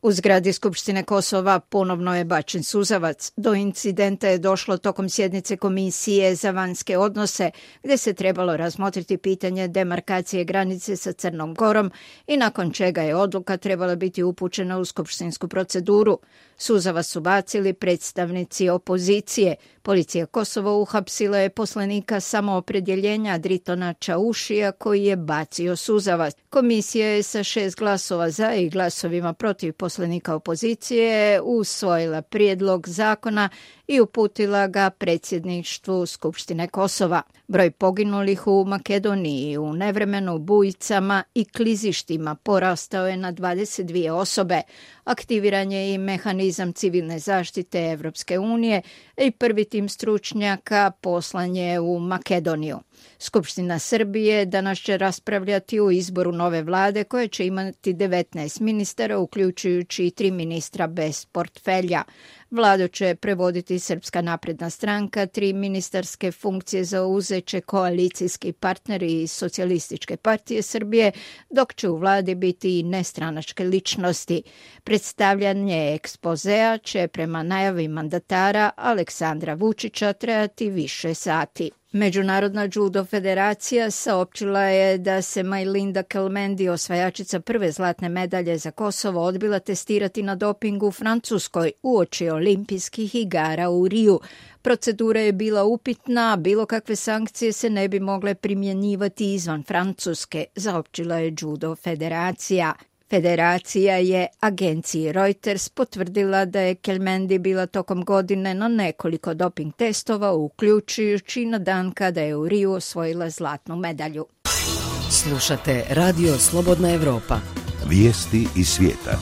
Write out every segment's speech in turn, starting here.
U zgradi Skupštine Kosova ponovno je bačen suzavac. Do incidenta je došlo tokom sjednice Komisije za vanjske odnose, gdje se trebalo razmotriti pitanje demarkacije granice sa Crnom Gorom i nakon čega je odluka trebala biti upućena u skupštinsku proceduru. Suzavac su bacili predstavnici opozicije. Policija Kosova uhapsila je poslanika samoopredjeljenja Dritona Čaušija koji je bacio suzavac. Komisija je sa 6 glasova za i glasovima protiv poslanika opozicije usvojila prijedlog zakona i uputila ga predsjedništvu Skupštine Kosova. Broj poginulih u Makedoniji u nevremenu, bujicama i klizištima porastao je na 22 osobe. Aktiviran je i mehanizam civilne zaštite Evropske unije i prvi tim stručnjaka poslan je u Makedoniju. Skupština Srbije danas će raspravljati o izboru nove vlade koje će imati 19 ministara, uključujući i 3 ministra bez portfelja. Vladu će prevoditi Srpska napredna stranka, 3 ministarske funkcije zauzeće koalicijski partneri iz Socijalističke partije Srbije, dok će u vladi biti i nestranačke ličnosti. Predstavljanje ekspozea će prema najavi mandatara Aleksandra Vučića trajati više sati. Međunarodna judo federacija saopćila je da se Majlinda Kelmendi, osvajačica prve zlatne medalje za Kosovo, odbila testirati na dopingu u Francuskoj uoči olimpijskih igara u Riju. Procedura je bila upitna, bilo kakve sankcije se ne bi mogle primjenjivati izvan Francuske, saopćila je judo federacija. Federacija je agenciji Reuters potvrdila da je Kelmendi bila tokom godine na nekoliko doping testova, uključujući na dan kada je u Riju osvojila zlatnu medalju. Slušate Radio Slobodna Evropa. Vijesti iz svijeta.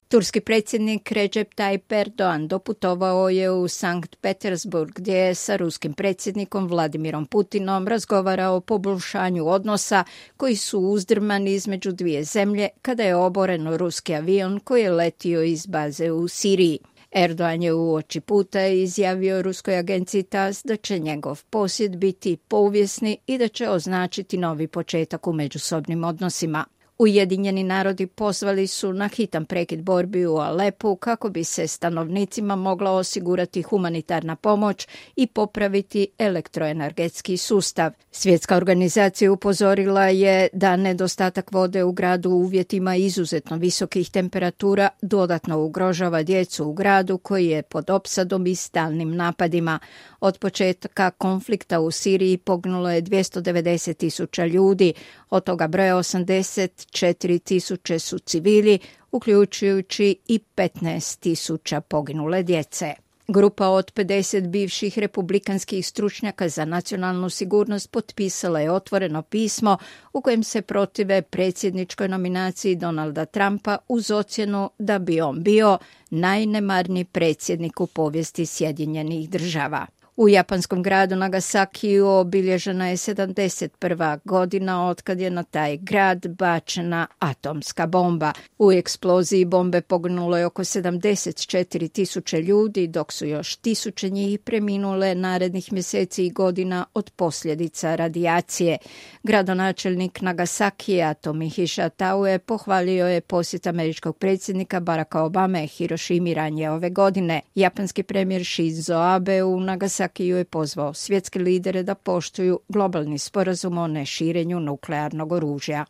Turski predsjednik Recep Tayyip Erdogan doputovao je u Sankt Petersburg gdje je sa ruskim predsjednikom Vladimirom Putinom razgovarao o poboljšanju odnosa koji su uzdrmani između dvije zemlje kada je oboren ruski avion koji je letio iz baze u Siriji. Erdogan je uoči puta izjavio ruskoj agenciji TASS da će njegov posjet biti povijesni i da će označiti novi početak u međusobnim odnosima. Ujedinjeni narodi pozvali su na hitan prekid borbi u Alepu kako bi se stanovnicima mogla osigurati humanitarna pomoć i popraviti elektroenergetski sustav. Svjetska organizacija upozorila je da nedostatak vode u gradu u uvjetima izuzetno visokih temperatura dodatno ugrožava djecu u gradu koji je pod opsadom i stalnim napadima. Od početka konflikta u Siriji poginulo je 290.000 ljudi, od toga broja 84.000 su civili, uključujući i 15.000 poginule djece. Grupa od 50 bivših republikanskih stručnjaka za nacionalnu sigurnost potpisala je otvoreno pismo u kojem se protive predsjedničkoj nominaciji Donalda Trumpa uz ocjenu da bi on bio najnemarniji predsjednik u povijesti Sjedinjenih Država. U japanskom gradu Nagasakiju obilježena je 71. godina otkad je na taj grad bačena atomska bomba. U eksploziji bombe poginulo je oko 74.000 ljudi, dok su još tisuće njih preminule narednih mjeseci i godina od posljedica radijacije. Gradonačelnik Nagasakija Tomihiša Taue pohvalio je posjet američkog predsjednika Baracka Obame Hirošimi ranije ove godine. Japanski premijer Shinzo Abe u Nagasakiju je pozvao svjetske lidere da poštuju globalni sporazum o neširenju nuklearnog oružja.